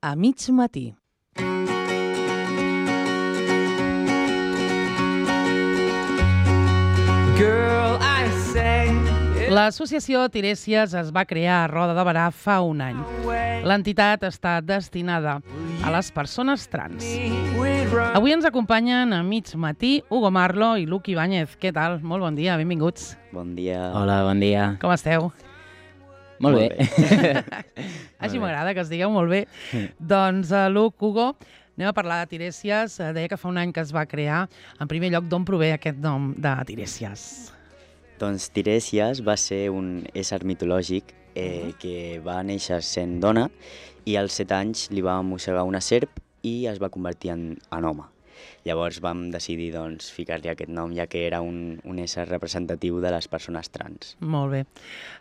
a mig matí. L'associació Tiresias es va crear a Roda de Berà fa un any. L'entitat està destinada a les persones trans. Avui ens acompanyen a mig matí Hugo Marlo i Luc Ibáñez. Què tal? Molt bon dia, benvinguts. Bon dia. Hola, bon dia. Com esteu? Molt bé. Així m'agrada que es digueu molt bé. Doncs, Luc, Hugo, anem a parlar de Tiresias. Deia que fa un any que es va crear. En primer lloc, d'on prové aquest nom de Tiresias? Doncs Tiresias va ser un ésser mitològic que va néixer sent dona i als 7 anys li va mossegar una serp i es va convertir en home. Llavors vam decidir ficar-li aquest nom, ja que era un ésser representatiu de les persones trans. Molt bé.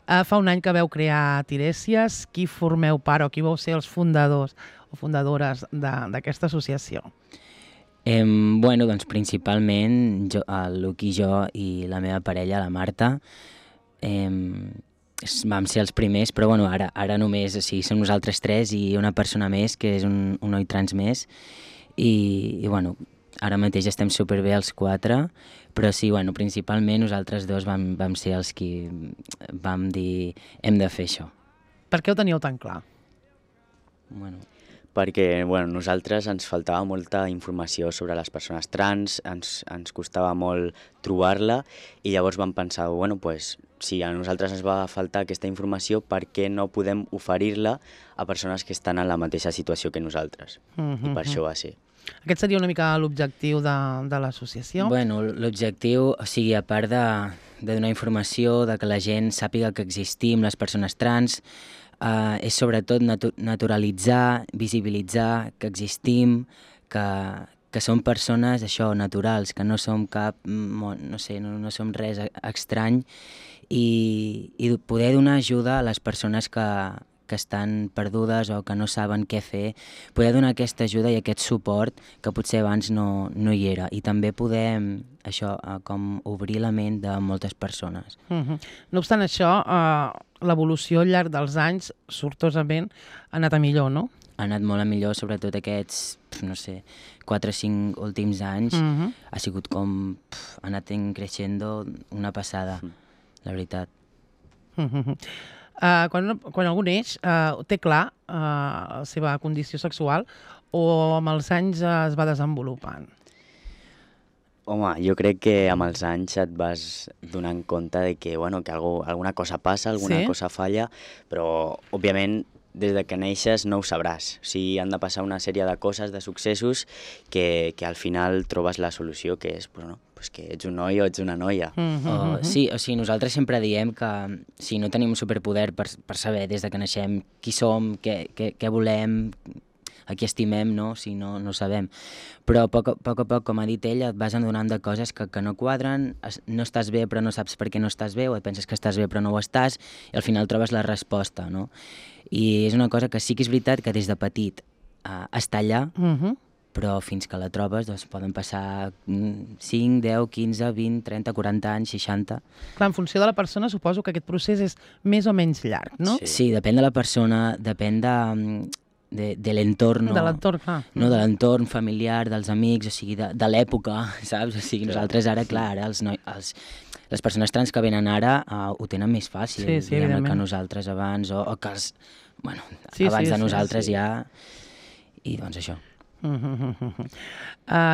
Fa un any que vau crear Tiresias. Qui formeu part o qui vau ser els fundadors o fundadores d'aquesta associació? Bueno, doncs principalment el Luc i jo i la meva parella, la Marta, vam ser els primers, però bueno, ara només som nosaltres 3 i una persona més, que és un noi trans més, i bueno, ara mateix estem superbé els 4, però sí, bueno, principalment nosaltres 2 vam ser els qui vam dir hem de fer això. Per què ho teníeu tan clar? Bueno, perquè nosaltres ens faltava molta informació sobre les persones trans, ens costava molt trobar-la i llavors vam pensar, si a nosaltres ens va faltar aquesta informació, per què no podem oferir-la a persones que estan en la mateixa situació que nosaltres? I per això va ser. Aquest seria una mica l'objectiu de l'associació? Bueno, l'objectiu, o sigui, a part de donar informació, de que la gent sàpiga que existim, les persones trans, és sobretot naturalitzar, visibilitzar que existim, que som persones naturals, que no som no som res estrany i poder donar ajuda a les persones que estan perdudes o que no saben què fer, poder donar aquesta ajuda i aquest suport que potser abans no hi era, i també poder com obrir la ment de moltes persones. No obstant això, l'evolució al llarg dels anys, sortosament, ha anat a millor, no? Ha anat molt a millor, sobretot aquests, 4 o 5 últims anys. Ha sigut com, ha anat creixent una passada, la veritat. Quan algú neix, té clar la seva condició sexual o amb els anys es va desenvolupant? Home, jo crec que amb els anys et vas donant compte de que alguna cosa passa, alguna cosa falla, però, òbviament, des de que neixes no ho sabràs. O sigui, han de passar una sèrie de coses, de successos, que al final trobes la solució, que és que ets un noi o ets una noia. Sí, o sigui, nosaltres sempre diem que no tenim un superpoder per saber des de que naixem qui som, què volem, a qui estimem, no sabem. Però a poc a poc, com ha dit ell, et vas adonant de coses que no quadren, no estàs bé però no saps per què no estàs bé, o et penses que estàs bé però no ho estàs, i al final trobes la resposta, no? I és una cosa que sí que és veritat que des de petit està allà, però fins que la trobes poden passar 5, 10, 15, 20, 30, 40 anys, 60... Clar, en funció de la persona suposo que aquest procés és més o menys llarg, no? Sí, depèn de la persona, depèn de l'entorn. De l'entorn, clar. No, de l'entorn familiar, dels amics, o sigui, de l'època, saps? O sigui, nosaltres ara, clar, les persones trans que venen ara ho tenen més fàcil, que nosaltres abans, o que abans de nosaltres ja... I doncs això.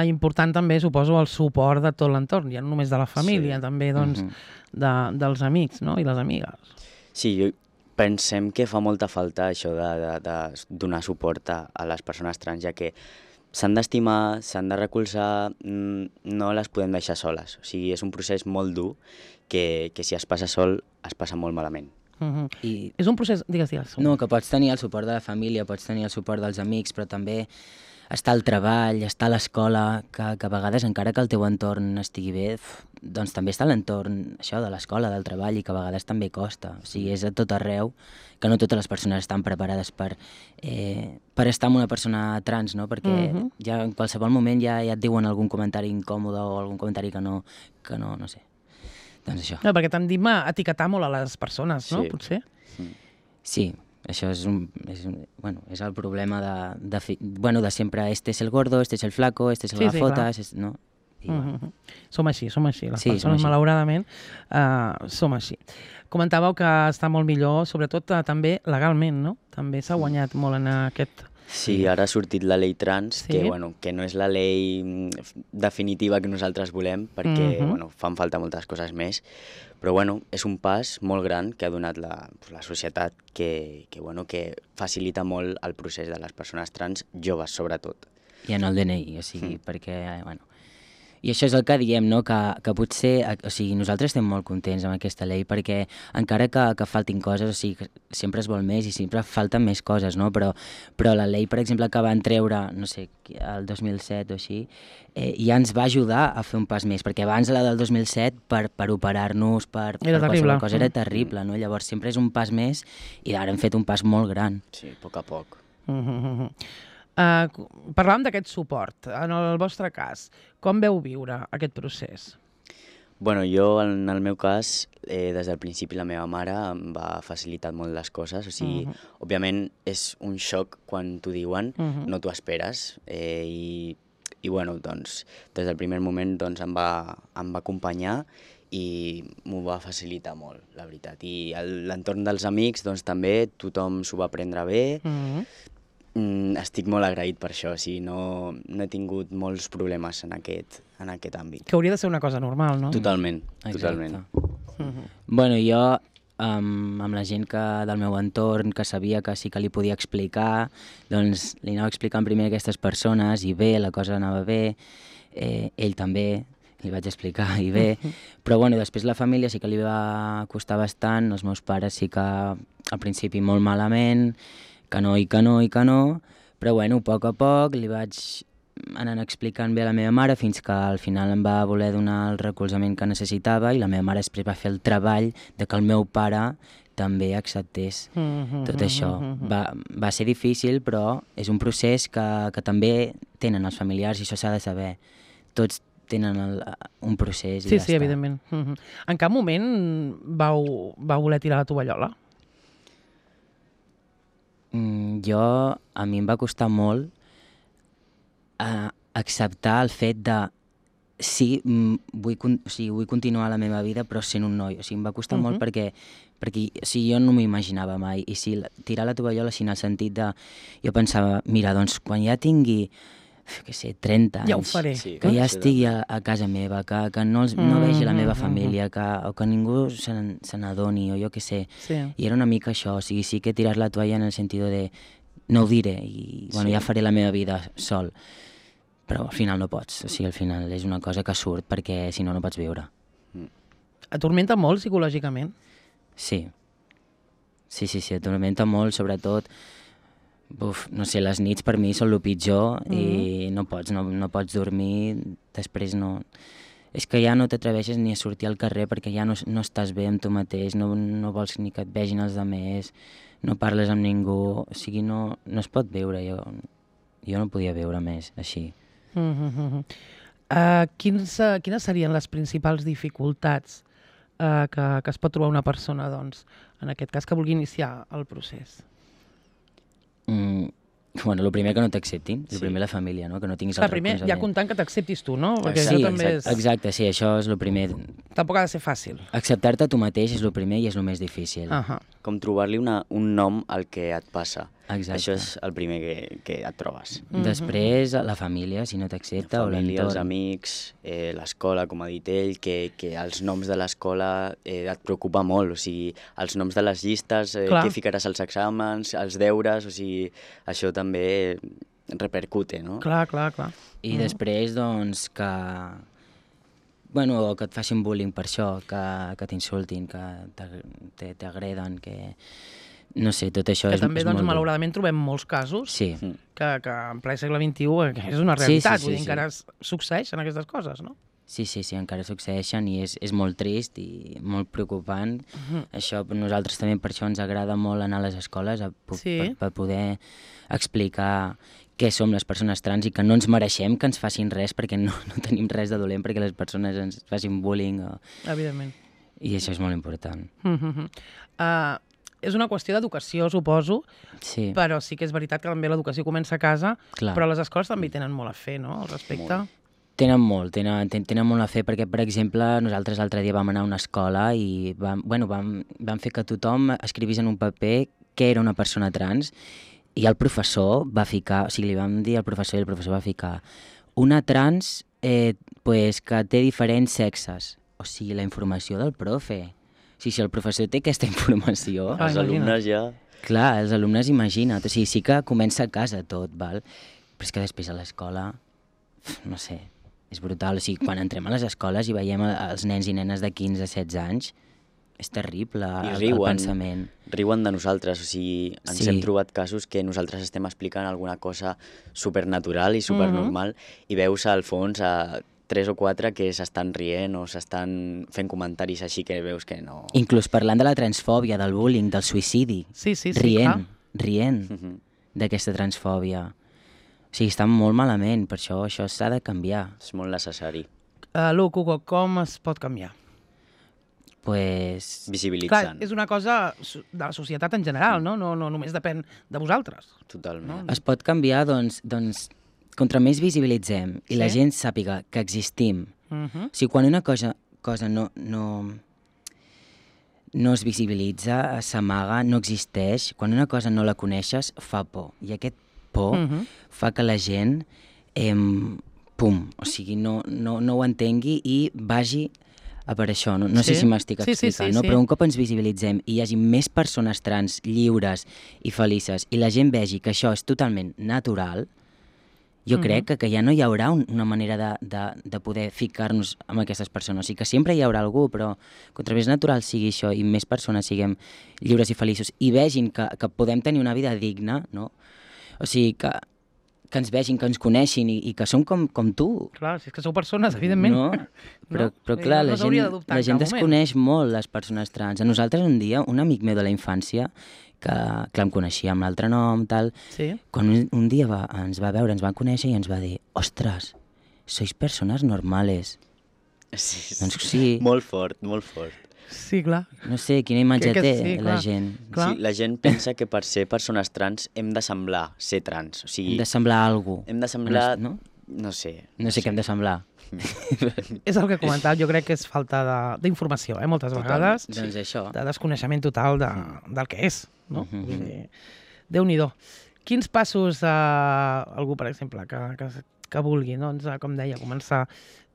Important també, suposo, el suport de tot l'entorn, ja no només de la família, també dels amics, no? I les amigues. Sí, pensem que fa molta falta això de donar suport a les persones trans, ja que s'han d'estimar, s'han de recolzar, no les podem deixar soles. O sigui, és un procés molt dur que si es passa sol es passa molt malament. És un procés... Digues. No, que pots tenir el suport de la família, pots tenir el suport dels amics, però també està el treball, està l'escola, que a vegades, encara que el teu entorn estigui bé, doncs també està l'entorn de l'escola, del treball, i que a vegades també costa. O sigui, és a tot arreu, que no totes les persones estan preparades per estar amb una persona trans, no? Perquè ja en qualsevol moment ja et diuen algun comentari incòmode o algun comentari que no sé. Doncs això. No, perquè tendim a etiquetar molt a les persones, no? Potser? Sí, Això és el problema de sempre, este es el gordo, este es el flaco, este es el gafotas, no? Som així, les persones malauradament som així. Comentàveu que està molt millor, sobretot també legalment, no? També s'ha guanyat molt en aquest... Sí, ara ha sortit la llei trans, que no és la llei definitiva que nosaltres volem, perquè fan falta moltes coses més, però és un pas molt gran que ha donat la societat que facilita molt el procés de les persones trans, joves sobretot. I en el DNI, o sigui, perquè, I això és el que diem, no? Que potser, o sigui, nosaltres estem molt contents amb aquesta llei perquè encara que faltin coses, o sigui, sempre es vol més i sempre falten més coses, no? Però la llei, per exemple, que van treure, no sé, el 2007 o així, ja ens va ajudar a fer un pas més, perquè abans la del 2007 per operar-nos, per qualsevol cosa, era terrible, no? Llavors sempre és un pas més i ara hem fet un pas molt gran. Sí, a poc a poc. Parlàvem d'aquest suport. En el vostre cas, com veu viure aquest procés? Jo, en el meu cas, des del principi la meva mare em va facilitar molt les coses. O sigui, òbviament és un xoc quan t'ho diuen, no t'ho esperes. I doncs, des del primer moment em va acompanyar i m'ho va facilitar molt, la veritat. I l'entorn dels amics, doncs també, tothom s'ho va prendre bé. Estic molt agraït per això, o sigui, no he tingut molts problemes en aquest àmbit. Que hauria de ser una cosa normal, no? Totalment, totalment. Jo, amb la gent del meu entorn, que sabia que sí que li podia explicar, doncs li anava explicant primer a aquestes persones i bé, la cosa anava bé, ell també, li vaig explicar i bé, però després la família sí que li va costar bastant, els meus pares sí que al principi molt malament, que no, però a poc a poc li vaig anant explicant bé a la meva mare fins que al final em va voler donar el recolzament que necessitava i la meva mare després va fer el treball de que el meu pare també acceptés tot això. Va ser difícil, però és un procés que també tenen els familiars i això s'ha de saber. Tots tenen un procés i ja està. Sí, evidentment. En cap moment vau voler tirar la tovallola? A mi em va costar molt acceptar el fet de vull continuar la meva vida però sent un noi, o sigui, em va costar molt perquè jo no m'ho imaginava mai i tirar la tovallola en el sentit de jo pensava, mira, doncs quan ja tingui 30 anys, ja ho faré. Que ja estigui a casa meva, que no vegi la meva família, o que ningú se n'adoni, o jo què sé. I era una mica això, o sigui, sí que tirar la toalla en el sentit de no ho diré, i ja faré la meva vida sol. Però al final no pots, o sigui, al final és una cosa que surt perquè si no, no pots viure. Atormenta molt psicològicament? Sí, atormenta molt, sobretot no sé, les nits per mi són el pitjor i no pots dormir, després no... És que ja no t'atreveixes ni a sortir al carrer perquè ja no estàs bé amb tu mateix, no vols ni que et vegin els altres, no parles amb ningú, o sigui, no es pot viure, jo no podia viure més així. Quines serien les principals dificultats que es pot trobar una persona, doncs, en aquest cas, que vulgui iniciar el procés? El primer que no t'acceptin, el primer la família, no? Que no tinguis el recolzament. Ja comptant que t'acceptis tu, no? Sí, exacte, sí, això és el primer. Tampoc ha de ser fàcil. Acceptar-te tu mateix és el primer i és el més difícil. Com trobar-li un nom al que et passa. Exacte. Això és el primer que et trobes. Després, la família, si no t'accepta, o l'entorn. La família, els amics, l'escola, com ha dit ell, que els noms de l'escola et preocupa molt, o sigui, els noms de les llistes, què ficaràs als exàmens, els deures, o sigui, això també repercute, no? Clar. I després, doncs, que et facin bullying per això, que t'insultin, que t'agreden, que... No sé, tot això és molt dur. Que també, malauradament, trobem molts casos que en ple segle XXI és una realitat, vull dir, encara succeeixen aquestes coses, no? Sí, encara succeeixen i és molt trist i molt preocupant. Això, nosaltres també per això ens agrada molt anar a les escoles per poder explicar què som les persones trans i que no ens mereixem que ens facin res perquè no tenim res de dolent perquè les persones ens facin bullying. Evidentment. I això és molt important. és una qüestió d'educació, suposo, Sí, però sí que és veritat que també l'educació comença a casa, clar. però les escoles també hi tenen molt a fer, no?, al respecte. Molt. Tenen molt a fer, perquè, per exemple, nosaltres l'altre dia vam anar a una escola i vam fer que tothom escrivís en un paper què era una persona trans, i el professor va ficar, o sigui, li vam dir al professor i el professor va ficar una trans pues, que té diferents sexes. O sigui, la informació del profe. O sigui, si el professor té aquesta informació... Els alumnes ja... Clar, els alumnes, imagina't. O sigui, sí que comença a casa tot, val? Però és que després a l'escola, no sé, és brutal. O sigui, quan entrem a les escoles i veiem els nens i nenes de 15-16 anys, és terrible el pensament. Riuen de nosaltres, o sigui, ens hem trobat casos que nosaltres estem explicant alguna cosa supernatural i supernormal i veus al fons a 3 o 4 que s'estan rient o s'estan fent comentaris així que veus que no... Inclús parlant de la transfòbia, del bullying, del suïcidi. Sí, Rient d'aquesta transfòbia. O sigui, està molt malament, per això s'ha de canviar. És molt necessari. Luc, Hugo, com es pot canviar? Pues... Visibilitzant. Clar, és una cosa de la societat en general, no? No només depèn de vosaltres. Totalment. Es pot canviar, doncs contra més visibilitzem i la gent sàpiga que existim. O sigui, quan una cosa no es visibilitza, s'amaga, no existeix, quan una cosa no la coneixes, fa por. I aquest por fa que la gent o sigui, no ho entengui i vagi a per això. No sé si m'estic explicant, no? Però un cop ens visibilitzem i hi hagi més persones trans lliures i felices i la gent vegi que això és totalment natural, jo crec que ja no hi haurà una manera de poder ficar-nos amb aquestes persones. O sigui que sempre hi haurà algú, però contra més natural sigui això i més persones siguem lliures i feliços i vegin que podem tenir una vida digna, no? O sigui, que ens vegin, que ens coneixin i que som com tu. Clar, si és que sou persones, evidentment. No? Però clar, la gent desconeix molt les persones trans. A nosaltres un dia, un amic meu de la infància, que em coneixia amb l'altre nom, tal, quan un dia ens va veure, ens va conèixer i ens va dir: ostres, sois persones normales. Sí, doncs sí. Molt fort, molt fort. Sí, clar. No sé, quina imatge té la gent. Sí, la gent pensa que per ser persones trans hem de semblar ser trans. O sigui, hem de semblar algú. Hem de semblar... No? No sé. No sé què hem de semblar. És el que he comentat, jo crec que és falta d'informació, moltes vegades. Doncs això. De desconeixement total del que és, no? Déu-n'hi-do. Quins passos algú, per exemple, que vulgui, doncs, com deia, començar...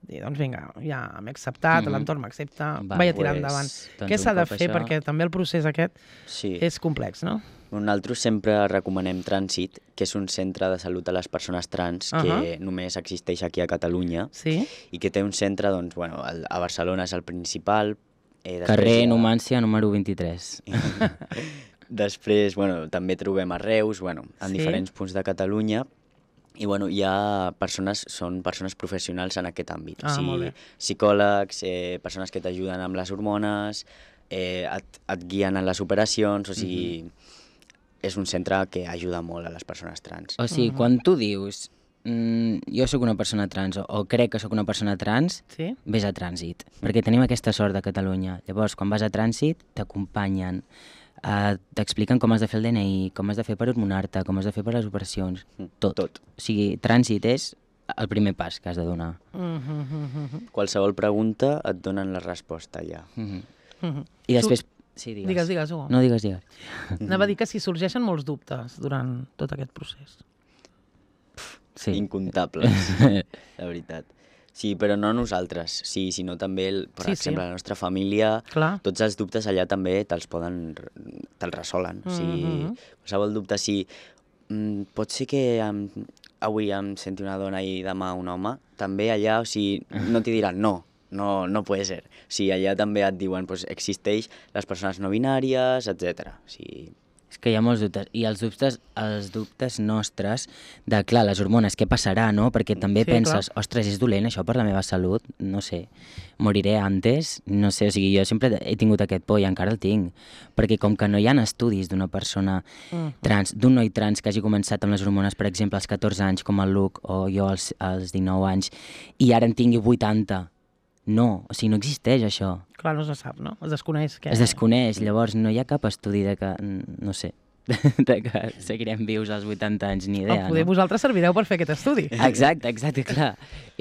Doncs vinga, ja m'he acceptat, l'entorn m'accepta, vaig a tirar endavant. Què s'ha de fer? Perquè també el procés aquest és complex, no? Nosaltres sempre recomanem Trànsit, que és un centre de salut a les persones trans que només existeix aquí a Catalunya i que té un centre, doncs, bueno, a Barcelona és el principal. Carrer Numància, número 23. Després, bueno, també trobem a Reus, bueno, en diferents punts de Catalunya. I bueno, són persones professionals en aquest àmbit. O sigui, psicòlegs, persones que t'ajuden amb les hormones, et guien en les operacions, o sigui, és un centre que ajuda molt a les persones trans. O sigui, quan tu dius jo sóc una persona trans o crec que sóc una persona trans, vés a Trànsit, perquè tenim aquesta sort de Catalunya. Llavors, quan vas a Trànsit, t'acompanyen, t'expliquen com has de fer el DNI, com has de fer per hormonar-te, com has de fer per les operacions, tot. O sigui, Trànsit és el primer pas que has de donar. Qualsevol pregunta et donen la resposta ja. I després... Sí, digues. Digues, Hugo. No, digues. Anava a dir que si sorgeixen molts dubtes durant tot aquest procés. Incomptables, la veritat. Sí, però no nosaltres, sinó també, per exemple, la nostra família, tots els dubtes allà també te'ls resolen. O sigui, qualsevol dubte, pot ser que avui em senti una dona i demà un home, també allà, o sigui, no t'hi diran no pot ser. O sigui, allà també et diuen, existeix les persones no binàries, etc. O sigui... És que hi ha molts dubtes, i els dubtes nostres de, clar, les hormones, què passarà, no? Perquè també penses, ostres, és dolent això per la meva salut, no sé, moriré antes, no sé, o sigui, jo sempre he tingut aquest por i encara el tinc, perquè com que no hi ha estudis d'una persona trans, d'un noi trans que hagi començat amb les hormones, per exemple, als 14 anys, com el Luc, o jo als 19 anys, i ara en tingui 80, No, o sigui, no existeix això. Clar, no se sap, no? Es desconeix. Es desconeix, llavors no hi ha cap estudi de que, no sé, de que seguirem vius als 80 anys, ni idea. Poder vosaltres servireu per fer aquest estudi. Exacte, clar.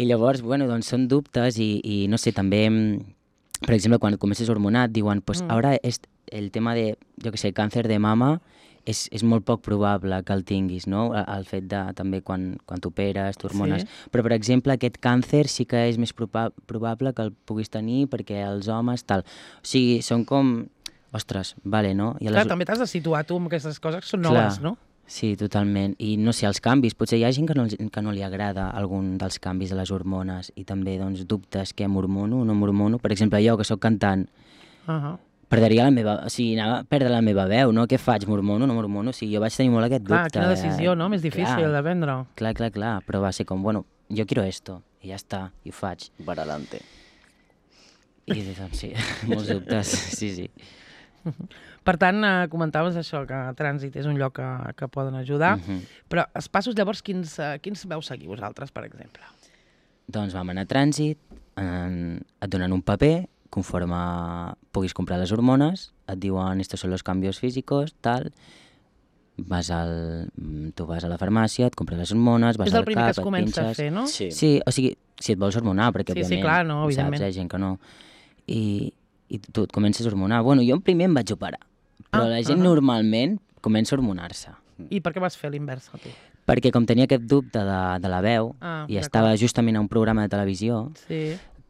I llavors, bueno, doncs són dubtes i no sé, també, per exemple, quan comences hormonat, diuen, pues ara el tema de, jo què sé, càncer de mama és molt poc probable que el tinguis, no? El fet de, també, quan t'operes, t'hormones. Sí. Però, per exemple, aquest càncer sí que és més probable que el puguis tenir perquè els homes, tal. O sigui, són com... Ostres, vale, no? Clar, també t'has de situar tu amb aquestes coses que són noves, no? Sí, totalment. I no sé, els canvis, potser hi ha gent que no li agrada algun dels canvis de les hormones i també, doncs, dubtes que m'hormono o no m'hormono. Per exemple, jo, que sóc cantant, perdria la meva... O sigui, anava a perdre la meva veu, no? Què faig? M'hormono o no m'hormono? O sigui, jo vaig tenir molt aquest dubte. Clar, quina decisió, no? Més difícil de prendre. Clar. Però va ser com, bueno, jo quiero esto. I ja està, i ho faig. Per adelante. I doncs sí, molts dubtes, sí. Per tant, comentaves això, que Trànsit és un lloc que poden ajudar, però els passos llavors quins veu seguir vosaltres, per exemple? Doncs vam anar a Trànsit, et donen un paper, conforme puguis comprar les hormones, et diuen estos son los cambios físicos, tal, tu vas a la farmàcia, et compres les hormones, vas al cap, et pinxes... És el primer que es comença a fer, no? Sí, o sigui, si et vols hormonar, perquè òbviament, clar, no, evidentment. saps, hi ha gent que no. I tu et comences a hormonar. Bueno, jo primer em vaig operar, però la gent normalment comença a hormonar-se. I per què vas fer l'inversa, tu? Perquè com tenia aquest dubte de la veu i estava justament a un programa de televisió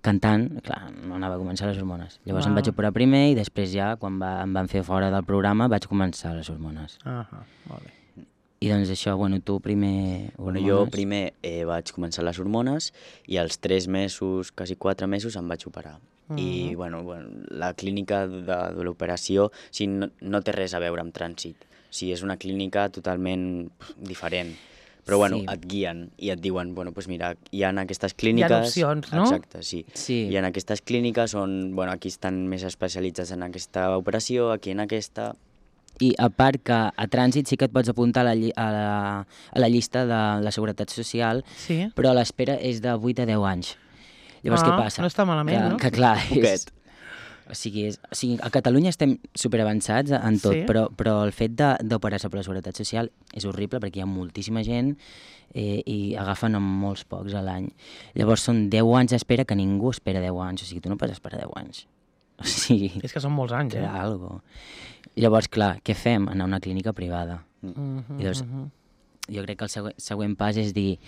cantant, clar, no anava a començar les hormones. Llavors em vaig operar primer i després ja, quan em van fer fora del programa, vaig començar les hormones. Molt bé. I doncs això, bueno, tu primer hormones... Bueno, jo primer vaig començar les hormones i als 3 mesos, quasi 4 mesos, em vaig operar. I bueno, la clínica de l'operació no té res a veure amb Trànsit. És una clínica totalment diferent. Però bueno, et guien i et diuen, bueno, doncs mira, hi ha aquestes clíniques... Hi ha opcions, no? Exacte, sí. Hi ha aquestes clíniques on, bueno, aquí estan més especialitzats en aquesta operació, aquí en aquesta... I a part que a Trànsit sí que et pots apuntar a la llista de la Seguretat Social, però l'espera és de 8 a 10 anys. Llavors, què passa? No està malament, no? Que clar, o sigui, a Catalunya estem superavançats en tot, però el fet d'operar-se per la Seguretat Social és horrible perquè hi ha moltíssima gent i agafen amb molts pocs a l'any. Llavors són 10 anys d'espera que ningú espera 10 anys, o sigui, tu no pots esperar 10 anys. O sigui... És que són molts anys, Llavors, clar, què fem? Anar a una clínica privada. I llavors, jo crec que el següent pas és dir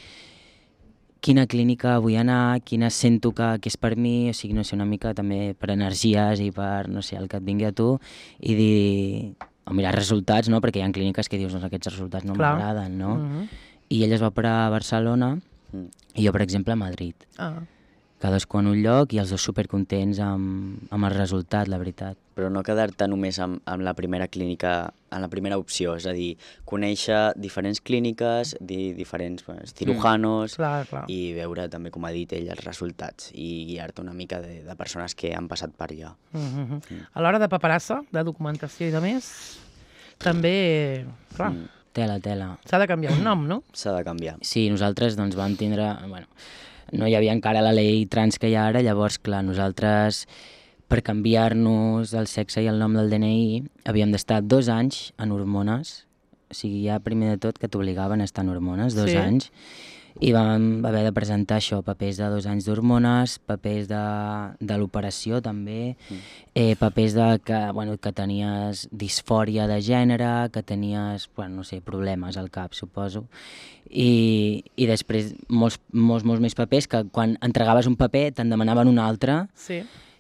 quina clínica vull anar, quina sento que és per mi, o sigui, no sé, una mica també per energies i per, no sé, el que et vingui a tu, i dir, o mirar resultats, no?, perquè hi ha clíniques que dius, doncs aquests resultats no m'agraden, no? I ell es va operar a Barcelona i jo, per exemple, a Madrid. Cadascú en un lloc i els dos supercontents amb el resultat, la veritat. Però no quedar-te només amb la primera clínica, en la primera opció, és a dir, conèixer diferents clíniques, diferents cirujanos i veure també, com ha dit ell, els resultats i guiar-te una mica de persones que han passat per allà. A l'hora de paperassa, de documentació i de més, també, clar... Tela. S'ha de canviar un nom, no? S'ha de canviar. Sí, nosaltres doncs vam tindre... Bueno, no hi havia encara la llei trans que hi ha ara, llavors, clar, nosaltres, per canviar-nos el sexe i el nom del DNI, havíem d'estar 2 anys en hormones, o sigui, ja primer de tot que t'obligaven a estar en hormones, 2 anys, i vam haver de presentar això, papers de 2 anys d'hormones, papers de l'operació també, papers que tenies disfòria de gènere, que tenies, no sé, problemes al cap, suposo, i després molts més papers que quan entregaves un paper te'n demanaven un altre,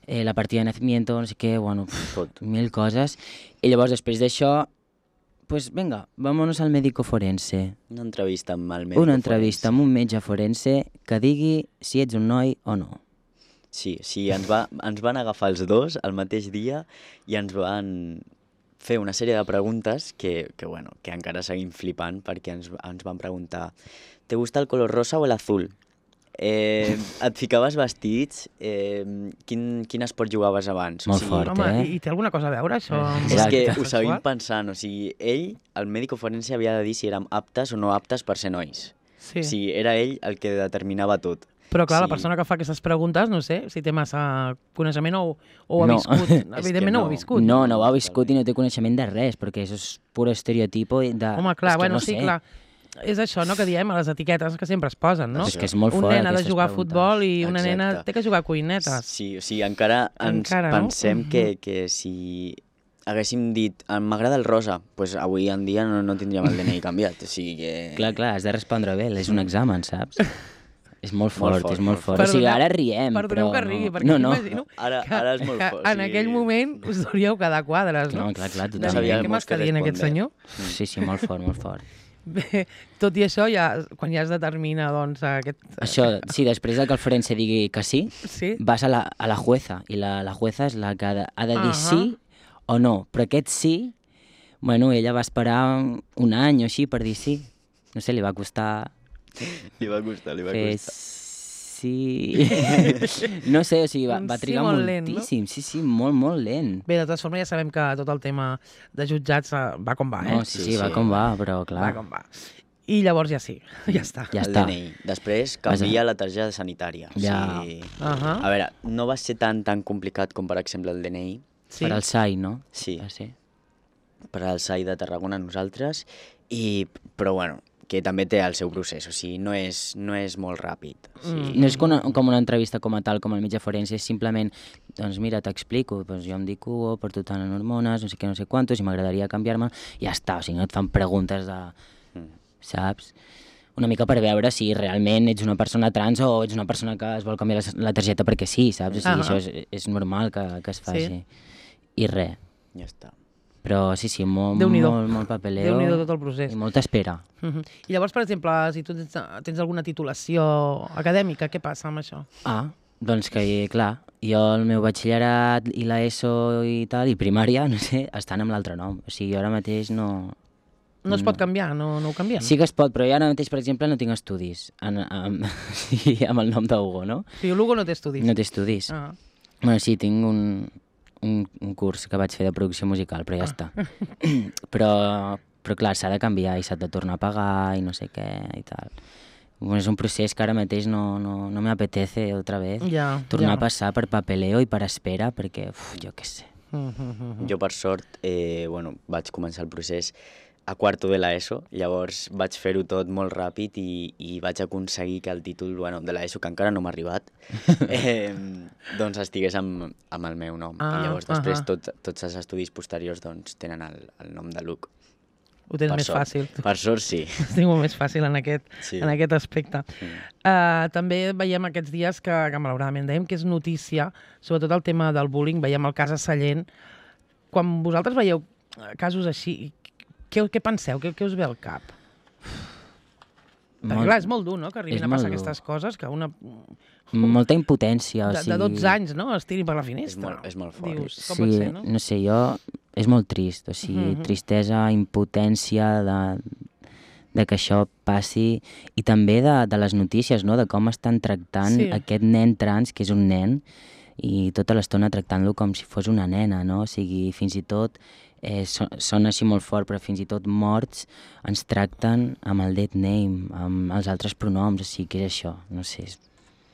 la partida de nacimiento, no sé què, mil coses, i llavors després d'això, pues venga, vámonos al médico forense. Una entrevista amb el médico forense. Una entrevista amb un metge forense que digui si ets un noi o no. Sí, ens van agafar els dos el mateix dia i ens van fer una sèrie de preguntes que encara seguim flipant perquè ens van preguntar ¿te gusta el color rosa o el azul? Et ficaves vestits, quin esport jugaves abans? Molt fort, home, I té alguna cosa a veure, això? És que ho seguim pensant, o sigui, ell, el mèdico forense, havia de dir si érem aptes o no aptes per ser nois. O sigui, era ell el que determinava tot. Però clar, la Sí. persona que fa aquestes preguntes, no sé si té massa coneixement o ho ha No. viscut. Evidentment no ho ha viscut. No ho ha viscut i no té coneixement de res, perquè això és pur estereotipo de... Home, clar, és que bueno, no sí, sé. clar. És això, no?, que diem a les etiquetes que sempre es posen, no? És que és molt Un fort, nen ha de aquestes jugar a preguntes. futbol i una nena Exacte. té que jugar a cuinetes. Sí, o sigui, encara ens Encara, no? pensem que si haguéssim dit m'agrada el rosa, doncs avui en dia no tindríem el DNI canviat. O sigui que... Clar, has de respondre bé, és un examen, saps? És molt fort, fort, és molt molt fort. fort. O sigui, ara riem, Perdoneu però... que rigui, perquè no. m'imagino Ara és molt que fort, en sí. aquell moment us deuríeu quedar quadres, no? No, clar, De dir, totalment. sabíem què mos m'està què dient aquest respondre. senyor? Sí, molt fort, molt fort. Bé, tot i això, ja, quan ja es determina, doncs, aquest... Això, sí, després de que el forense digui que sí, Sí? vas a la jueza, i la jueza és la que ha de dir Ahà. sí o no. Però aquest sí, bueno, ella va esperar un any o així per dir sí. No sé, li va costar Li va costar. fer sí... No sé, o sigui, va Un sí trigar molt lent, no? moltíssim. Sí, molt lent. Bé, de totes formes, ja sabem que tot el tema de jutjats va com va, eh? No, sí, va com va, però clar, Va com va. I llavors ja sí, ja està. ja El està. DNI. Després canvia la targeta sanitària. Ja. O sigui, Ahà. a veure, no va ser tan complicat com, per exemple, el DNI. Sí? Per al SAI, no? Sí, Va ser. per al SAI de Tarragona nosaltres, però bueno, que també té el seu procés, o sigui, no és molt ràpid. O sigui, No és com una entrevista com a tal, com el metge forense, és simplement, doncs mira, t'explico, doncs jo em dic Hugo, porto tant en hormones, no sé què, no sé quantos, i m'agradaria canviar-me, i ja està, o sigui, no et fan preguntes de... saps? Una mica per veure si realment ets una persona trans o ets una persona que es vol canviar la targeta perquè sí, saps? O sigui, això és normal que es faci. Sí. I res. Ja està. Però sí, molt Déu-n'hi-do. molt papeleo. Déu-n'hi-do tot el procés. I molta espera. I llavors, per exemple, si tu tens alguna titulació acadèmica, què passa amb això? Doncs que, clar, jo el meu batxillerat i l'ESO i tal, i primària, no sé, estan amb l'altre nom. O sigui, jo ara mateix no... No es pot canviar, no ho canviem? Sí que es pot, però jo ara mateix, per exemple, no tinc estudis sí, amb el nom d'Hugo, no? O sigui, l'Hugo no té estudis. No té estudis. Ah. Bueno, sí, tinc un curs que vaig fer de producció musical, però ja està. però clar, s'ha de canviar i s'ha de tornar a pagar i no sé què i tal. Bueno, és un procés que ara mateix no me apetece otra vez Ja, tornar ja. a passar per papeleo i per espera, perquè, jo què sé. Jo, per sort, vaig començar el procés a quarto de l'ESO, llavors vaig fer-ho tot molt ràpid i vaig aconseguir que el títol de l'ESO, que encara no m'ha arribat, doncs estigués amb el meu nom. I llavors després tots els estudis posteriors doncs, tenen el nom de Luc. Ho tens Per més sort. fàcil. Per sort, sí. Ho tinc molt més fàcil en aquest aspecte. També veiem aquests dies que malauradament dèiem que és notícia, sobretot el tema del bullying, veiem el cas a Sallent. Quan vosaltres veieu casos així, què penseu? Què us ve al cap? Perquè clar, és molt dur, no?, que arribin a passar aquestes coses, que una... Molta impotència, o de sigui... 12 anys, no?, es tiri per la finestra. És molt fort. Dius, com pot ser, no? No sé, és molt trist, o sigui, tristesa, impotència de que això passi, i també de les notícies, no?, de com estan tractant aquest nen trans, que és un nen, i tota l'estona tractant-lo com si fos una nena, no? O sigui, fins i tot, sona així molt fort, però fins i tot morts ens tracten amb el dead name, amb els altres pronoms, o sigui, què és això? No sé,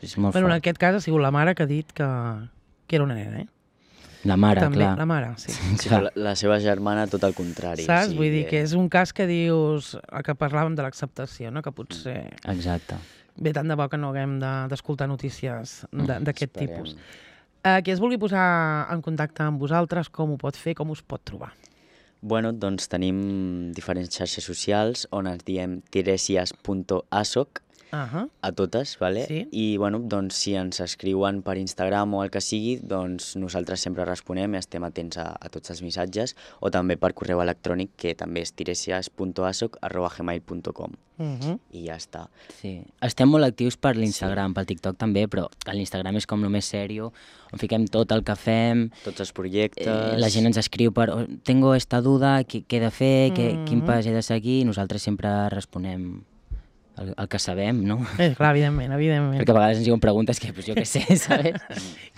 és molt Bueno, en fort. aquest cas ha sigut la mare que ha dit que era una nena, La mare, també, clar. la mare, sí. Sí, però la seva germana tot el contrari. Saps? O sigui, Vull dir que és un cas que dius, el que parlàvem de l'acceptació, no?, que potser... Exacte. Bé, tant de bo que no haguem d'escoltar notícies d'aquest esperem. tipus. Qui es vulgui posar en contacte amb vosaltres, com ho pot fer, com us pot trobar? Bueno, doncs tenim diferents xarxes socials on ens diem tiresias.asoc a totes, ¿vale? Sí. I bueno, doncs si ens escriuen per Instagram o el que sigui, doncs nosaltres sempre responem i estem atents a tots els missatges, o també per correu electrònic, que també és tiresias.asoc@gmail.com. I ja està. Sí. Estem molt actius per l'Instagram, pel TikTok també, però l'Instagram és com el més sèrio, on fiquem tot el que fem, Tots els projectes... la gent ens escriu per tengo esta duda, què he de fer, quin pas he de seguir, i nosaltres sempre responem el que sabem, no? Clar, evidentment. Perquè a vegades ens diuen preguntes que jo què sé, saps?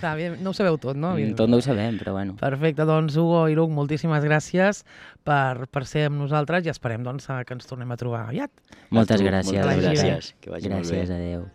Clar, no ho sabeu tot, no? Tot no ho sabem, però bueno. Perfecte, doncs Hugo i Luc, moltíssimes gràcies per ser amb nosaltres i esperem doncs, que ens tornem a trobar aviat. Moltes gràcies. Moltes Que vagi bé. gràcies. Que vagi molt bé. Gràcies, adeu.